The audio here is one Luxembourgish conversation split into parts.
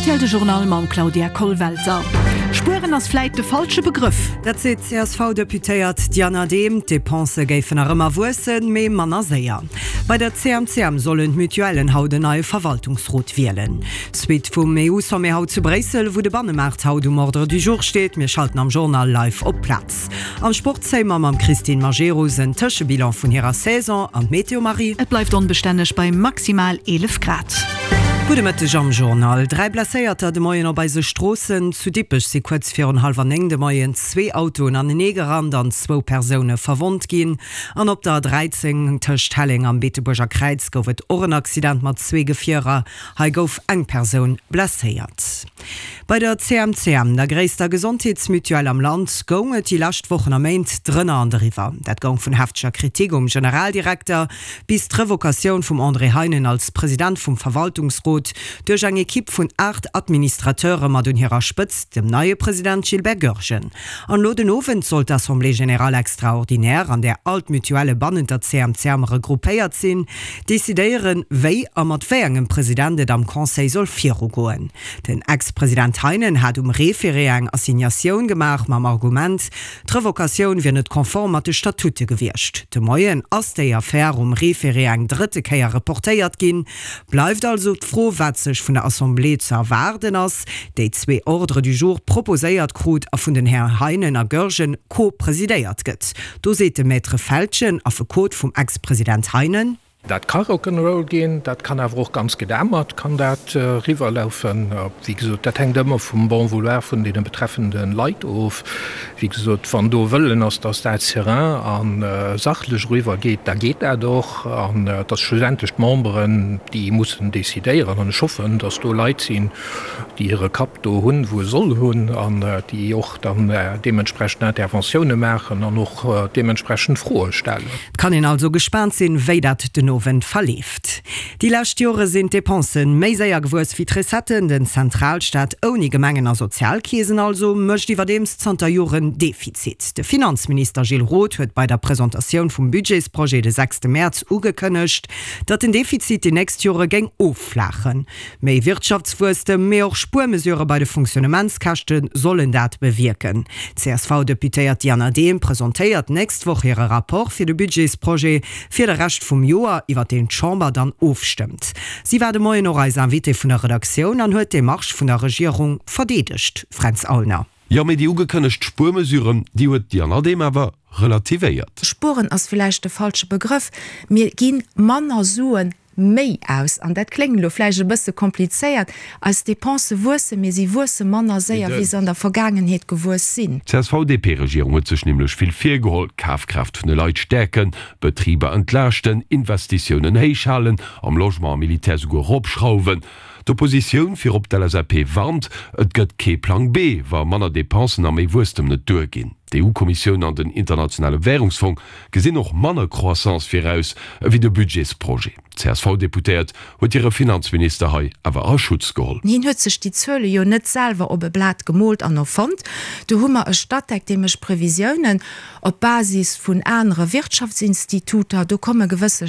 Rtl De Journal mam Claudia Kollwelter. Spueren ass vläit de falsche Begrëff. Dat seet d'CSV-Deputéiert Diana Dehm. D'Depensë géifen nach ëmmer wuessen, mee manner séier. Bei der CMCM sollen d'Mutuellen haut en neie Verwaltungsrot wielen. Suite vum EU-Sommet haut zu Bréissel, wou de Bannemaart haut um Ordre du jour steet. Mir schalten am Journal live op d'Plaz. Am Sport zéie mer mam Christine Majerus en Tëschebilan vun hirer Saison an d'Meteo, Marie? Et bleift onbestänneg bei maximal 11 Grad. Gudde Mëtteg am Journal. 3 Blesséierter de Moien op eise Stroossen. Zu Dippech si kuerz virun hallwer 9 de Moien zwee Autoen anenee gerannt an zwou Persoune verwonnt ginn. An op der 13 tëscht Helleng am Beetebuerger Kräiz gouf et och en Accident mat zwee Gefierer. Hei gouf eng Persoun blesséiert. Bei der CMCM, der gréisster Gesondheetsmutuelle am Land, goung et déi lescht Wochen a Méint drënner an driwwer. Dat goung vun hefteger Kritik um Generaldirekter bis d'Revocatioun vum André Heinen als President vum Verwaltungsrot duerch eng Ekipp vun 8 Administrateure mat un hirer Spëtzt dem neie President Gilbert Goergen. An elo den Owend soll d'Assemblée générale extraordinaire, an där all d'Mutuellë bannent der CMCM regroupéiert sinn, decidéieren, wéi a mat wéi engem President et am Conseil soll virugoen. Den Ex-President Heinen hat um Référé eng Assignatioun gemaach mam Argument, d'Revocatioun wier net konform mat de Statute gewiescht. De Moien ass déi Affär um Référé eng drëtte Kéier reportéiert ginn. Bleift also d'Fro, wat sech vun der Assemblée ze erwaarden ass, déi zwee Ordres du jour proposéiert krut a vun den Här Heinen a Goergen co-presidéiert gëtt. Do seet de Maître Feltgen, Affekot vum Ex-President Heinen. Dat ka Rock'n'Roll ginn, dat kann awer och ganz gedämmert kann dat eriwwerlaufen. Wéi gesot, dat hänkt ëmmer vum Bon vouloir vun deene betreffende Leit of. Wéi gesot, wann do Wëllen ass, dass dat serein a sachlech eriwwer geet, da geet dat och. An et ass schlussendlech d'Memberen, déi mussen decidéieren. An ech hoffen, dass do Leit sinn, déi hire Kapp do hunn, wou e soll hunn, an déi och dann deementsprechend Interventioune maachen an och deementsprechend Froe stellen. Et kann een also gespaant sinn, wéi dat den Owend verleeft. Déi lescht Jore sinn d'Dépensen méi séier gewuess wéi d'Recetten. Den Zentralstaat ouni Gemengen a Sozialkeesen also mécht iwwerdeems zanter Joren Defizit. De Finanzminister Gilles Roth huet bei der Presentatioun vum Budgetsprojet de sechste Mäerz ugekënnegt, datt den Defizit déi nächst Jore géing offlaachen. Méi Wirtschaftswuesstem, mee och Spuermesurë bei de Fonctionnementskäschte sollen dat bewierken. D'CSV-Deputéiert Diana Dehm presentéiert d'nächst Woch hire Rapport fir de Budgetsprojet fir de Rescht vum Joer, iwwer deen d'Chamber dann ofstëmmt. Si war de Moien och eis Invitée vun der Redaktioun an huet d'Demarche vun der Regierung verdeedegt. Fränz Aulner. Jo, mee déi ugekënnegt Spuermesuren, déi huet d'Diana Dehm awer relativéiert. Spueren ass villäicht de falsche Begrëff. Mir gi manner Suen méi aus. An dat kléngt elo vläicht e bësse komplizéiert, eis Depensë wuessen, mee si wuesse manner séier, wéi se an der Vergaangenheet gewuess sinn. D'CSV-DP-Regierung huet sech nämlech vill virgeholl, Kafkraaft vun de Leit stäerken, Betriber entlaaschten, Investitiounen héich halen, am Logement a Militär souguer eropschrauwen. D'Oppositioun, virop d'LSAP, warnt, et gëtt kee Plang B, wa manner Depensen a méi Wuesstem net duerginn. D'EU-Kommissioun an den Internationale Wärungsfong gesinn och manner Croissance viraus ewéi de Budgetsprojet. D'CSV-Deputéiert huet hire Finanzminister hei awer a Schutz geholl. Hien huet sech déi Zuele jo net selwer op e Blat gemoolt an erfonnt. Do hu mer e Statec, dee mécht Previsiounen op Basis vun anere Wirtschaftsinstituter. Do komme gewësse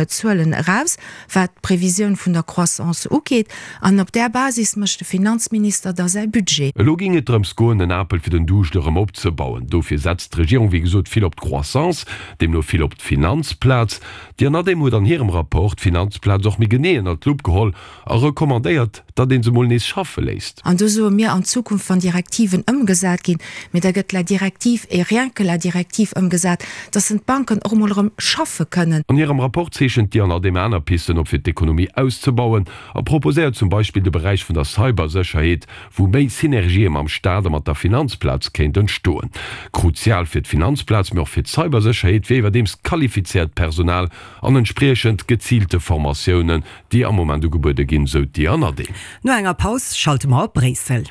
Zuelen eraus. wat d'Previsioun vun der Croissance ugeet, an op där Basis mécht de Finanzminister da säi Budget. Elo géing et drëms goen, den Apel fir den Duuscht erëm opzebauen. Dofir setzt d'Regierung wéi gesot vill op d'Croissance, deemno vill op d'Finanzplaz. D'Diana Dehm huet an hirem Rapport d'Finanzplaz och méi genee ënnert d'Lupp geholl a recommandéiert, datt ee se mol nees schaffe léisst. An do soe mir an Zukunft, wann Direktiven ëmgesat ginn, mee da gëtt la directive et rien que la directive ëmgesat, dass en d'Banken och emol erëm schaffe kënnen. An hirem Rapport zeechent d'Diana Dehm aner Pisten op fir d'Ekonomie auszebauen a proposéiert zum Beispill de Beräich vun der Cybersécherheet, wou méi Synergië mam Staat a mat der Finanzplaz kéint entstoen. Kruzial fir d'Finanzplaz, mee och fir d'Cybersécherheet wier iwwerdeems qualifizéiert Personal an entspriechend geziilte Formatiounen, déi am Moment ugebuede ginn, sou d'Diana Dehm. No enger Paus schalte mer op Bréissel.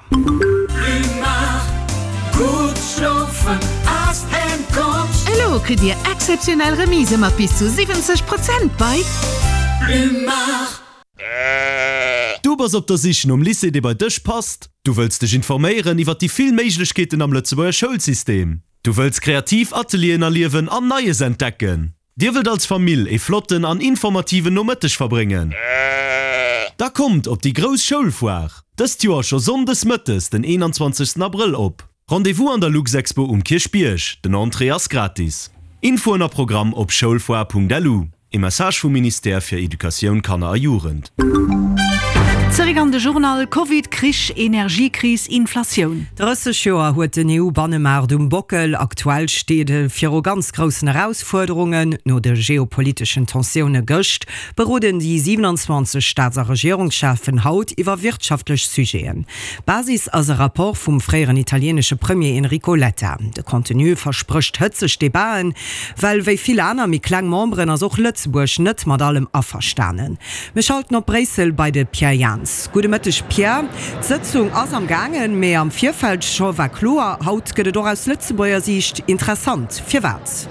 Elo kritt Dir exzeptionell Remisë mat bis zu 70 Prozent bei. Du bass op der Sich nom Lycée dee bei dech passt? Du wëlls dech informéieren iwwer déi vill Méiglechkeeten am Lëtzebuerger Schoulsystem? Du wëlls kreativ Atelieren erliewen an Neies entdecken? Dir wëllt als Famill ee flotten an informativen Nomëtteg verbréngen? Da kommt op déi grouss Schoulfoire, dëst Joer scho Sonndes mëttes den 21 Abrëll op. Rendez-vous an der Luxexpo um Kierchbierg, den Entrée ass gratis. Infoen a Programm op schoulfoire.lu. E Message vum Ministère fir Educatioun, Kanner a Jugend. Zeréck an de Journal, Covid, Krich, Energiekris, Inflatioun. 30 Joer huet den EU-Bannemaart um Bockel. Aktuell steet e viru ganz groussen Erausfuerderungen. No de geopoliteschen Tensioune gëscht, beroden déi 27 Staats a Regierungscheffen haut iwwer wirtschaftlech Sujeten. Basis ass e Rapport vum fréieren italieenesche Premier Enrico Letta. De Contenu versprécht hëtzeg Debaten, well wéi vill aner méi kleng Memberen ass och Lëtzebuerg net mat allem averstanen. Mir schalten op Bréissel bei de Pierre Jans. Gudde Mëtteg Pierre. D'Sëtzung ass am gaangen, mee am Virfeld scho war kloer, haut gëtt et och aus Lëtzebuerger Siicht interessant. Firwat?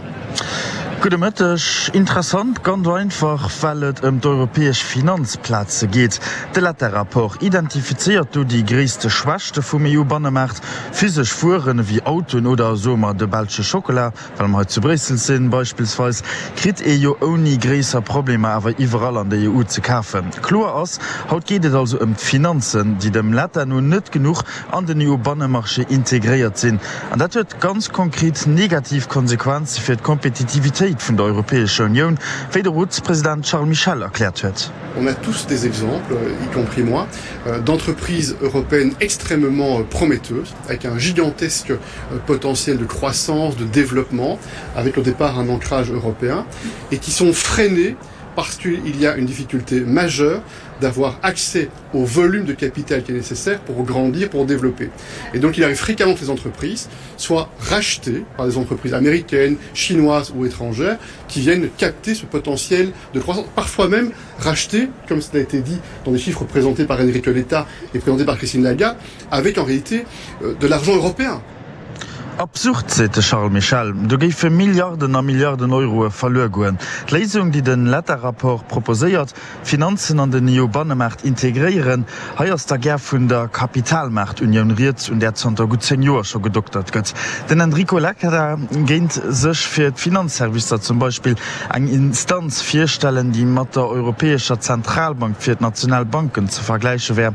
Gudde Mëtteg. Interessant ganz einfach, well et ëm d'europäesch Finanzplaze geet. De Letta-Rapport identifizéiert do déi gréisste Schwächte vum EU-Bannemaart, Physesch Wueren ewéi Autoen oder, soe mer, de belsche Schockela, well mer hei zu Bréissel sinn, beispillsweis, kritt ee jo ouni gréisser Problemer awer iwwerall an der EU ze kafen. Kloer ass, haut geet et also ëm d'Finanzen, déi dem Letta no net genuch an den EU-Bannemarché integréiert sinn. An dat huet ganz konkret negativ Konsequenze fir d'Kompetitivitéit vun der Europäescher Unioun, wéi de Rotspresident Charles Michel erkläert huet. On a tous des exemples, y compris moi, d'entreprises européennes extrêmement prometteuses, avec un gigantesque potentiel de croissance, de développement, avec au départ un ancrage européen, et qui sont freinées parce qu'il y a une difficulté majeure d'avoir accès au volume de capital qui est nécessaire pour grandir, pour développer. Et donc il arrive fréquemment que les entreprises soient rachetées par des entreprises américaines, chinoises ou étrangères qui viennent capter ce potentiel de croissance, parfois même rachetées, comme cela a été dit dans des chiffres présentés par Enrico Letta et présentés par Christine Lagarde, avec en réalité euh, de l'argent européen. Absurd, seet de Charles Michel. Do géife Milliarden a Milliarden Euroe verluer goen. D'Léisung, déi den Letta-Rapport proposéiert, d'Finanzen an den EU-Bannemaart integréieren, hei ass da gär vun der Kapitalmaartunioun rieds, un där zanter gutt 10 Joer scho gedoktert gëtt. Den Enrico Letta géint sech fir d'Finanzservicer zum Beispill eng Instanz virstellen, déi mat der Europäescher Zentralbank fir d'national Banken ze vergläiche wär.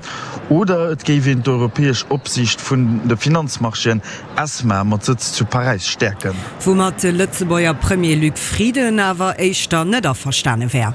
Oder et géif een d'europäesch Opsiicht vun de Finanzmarchéen, ESMA, mat Sëtz zu Paräis stäerken. Woumat de Lëtzebuerger Premier Luc Frieden awer éischter net averstane wär.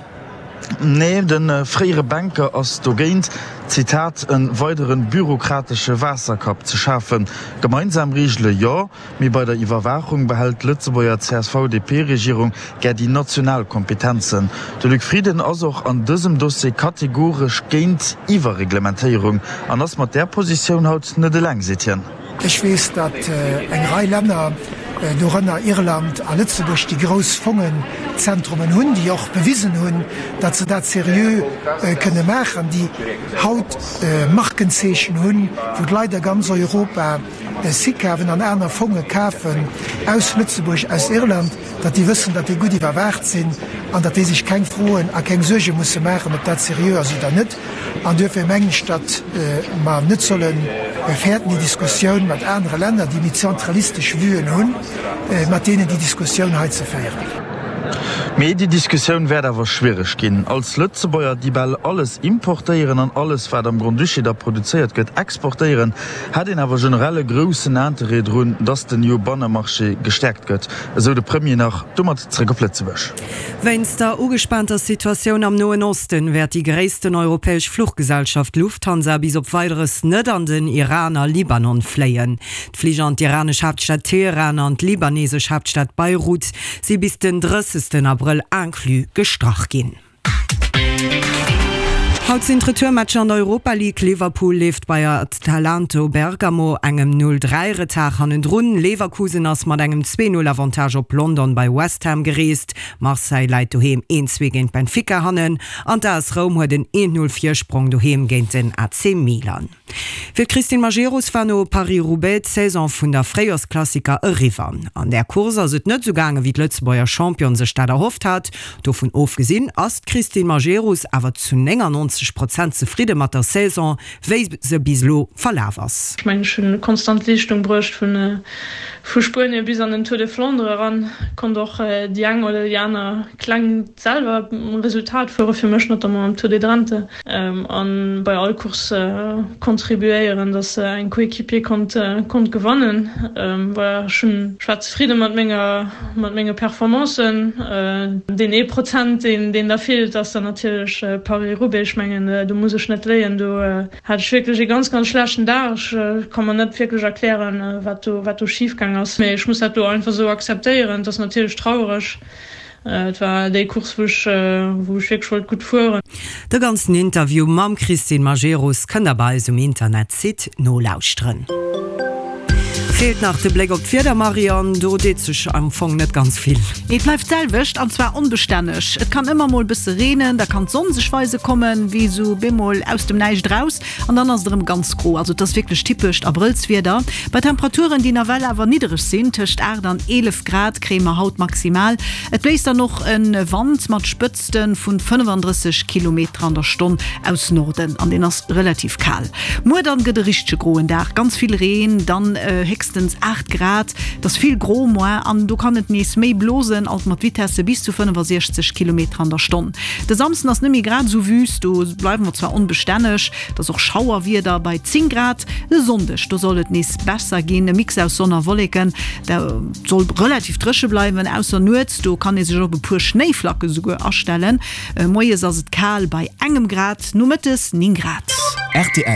Nee, de fréiere Banker ass dogéint, Zitat, en weideren bürokratesche Waasserkapp ze schafen. Gemeinsam Reegele jo, Mee bei der Iwwerwaachung behält d'Lëtzebuerger CSV-DP-Regierung gär déi national Kompetenzen. De Luc Frieden ass och an dësem Dossier kategoresch géint Iwwerreglementéierung an ass mat där Positioun haut net eleng, seet hien. Ech weess, datt eng Rei Länner, dorënner Irland a Lëtzebuerg, déi grouss Fongenzentrumen hunn, déi och bewisen hunn, datt se dat seriö kënne maachen, déi haut Markenzeechen hunn, wou d'Leit a ganz Europa, Sikawen an aner Fonge kafen aus Lëtzebuerg, aus Irland, datt déi wëssen, datt déi gutt iwwerwaacht sinn an datt déi sech keng Froen a keng Suerge musse maachen, ob dat seriö ass oder net. An duerfir mengen ech, datt mer net solle fäerten, déi Diskussioun mat anere Länner, déi méi zentralistesch Vuen hunn, mat deenen déi Diskussioun hei ze féieren. Mee déi Diskussioun wäert awer schwiereg ginn. Als Lëtzebuerger, déi bal alles importéieren an alles, wat am Grand-Duché da produzéiert gëtt, exportéieren, Hätt een awer generell e groussen Interêt drun, datt den EU-Bannemarché gestäerkt gëtt, esou de Premier nach. Domat zréck op Lëtzebuerg. Wéinst der ugespaanter Situatioun am Noen Osten wäert déi gréissten europäesch Fluchgesellschaft Lufthansa bis op Weideres net an den Iran a Libanon fléien. D'Flich an d'iranesch Haaptstad Teheran an d'libanesesch Haaptstad Beirut si bis den 30 Abrëll inclus gestrach ginn. Haut sinn d'Retourmatcher an der Europa League. Liverpool leeft bei Atalanto Bergamo engem 0, 3 Retard hannendrun. Leverkusen ass mat engem 2, 0 Avantage op London bei West Ham gereest. Marseille läit doheem 1, 2 géint Benfica hannen an d'AS Roum huet en 1, 0 Virsprong doheem géint den AC Milan. Fir d'Christine Majerus war no Paris-Roubaix d'Saison vun der Fréijorsklassiker eriwwer. An där Course ass et net esou gaange wéi d'Lëtzebuerger Championne sech dat erhofft hat. Dovun ofgesinn ass d'Christine Majerus awer zu 99. 90 Prozent zefridde mat der Saison, wéi se bis elo verlaf ass. Ech mengen, ech hunn konstant Leeschtung bruecht vu Spuenie bis an den Tour de Flandre eran, konnt och déi eng oder déi aner kleng selwer Resultat fuere fir mech, notamment am Tour de Drenthe. An bei all Course contribuéieren, dass eng Coéquipier konnt konnt gewannen. Voilà, ech hunn, ech war zefridde mat menger mat menge Performancen. Deen ee Prozent, deen deen da feelt, ass dann natierlech Paris-Roubaix. Ech mengen, do muss ech net léien, do hat ech wierklech ee ganz, ganz schlechten Dag. Ech ka mer net wierklech erklären, wat do wat do schif gaang ass, mee ech muss dat do einfach esou akzeptéieren. Et ass natierlech trauereg. Et war déi Course wou ech wou ech wierklech wollt gutt fueren. De ganzen Interview mam Christine Majerus kënnt der bei eis um Internetsite nolauschteren. Feelt nach de Bléck op d'Wieder, Marion, do deet sech am Fong net ganz vill. Nee, et bleift d'selwecht an zwar onbestänneg. Et kann ëmmer mol bësse reenen, da kann d'Sonn sech weise kommen, wéi sou bemol aus dem Näischt eraus. An dann ass et erëm ganz gro. Also et ass wierklech typescht Abrëllswieder. Bei Temperaturen, déi nawell awer niddereg sinn, tëscht 8 an 11 Grad kréie mer haut maximal. Et bléist dann och e Wand mat Spëtzte vun 35 Kilometer an der Stonn aus Norden an deen ass relativ kal. Muer dann gëtt e richtege groen Dag, ganz vill Reen, dann héchstens 8 Grad. Et ass vill gro moar an do kann et nees méi blosen, alt mat Vitesse bis zu 65 Kilometer an der Stonn. De Samsden ass net méi grad esou wüst, do bleiwe mer zwar onbestänneg, et ass och Schauerwieder bei 10 Grad. E Sonndeg, do soll et nees besser ginn, e Mix aus Sonn a Wolleken, et soll relativ dréche bleiwen, ausser nuets, do kann ee sech op e puer Schnéiflacke souguer astellen. Moies ass et kal bei engem Grad, nomëttes 9 Grad. Rtl.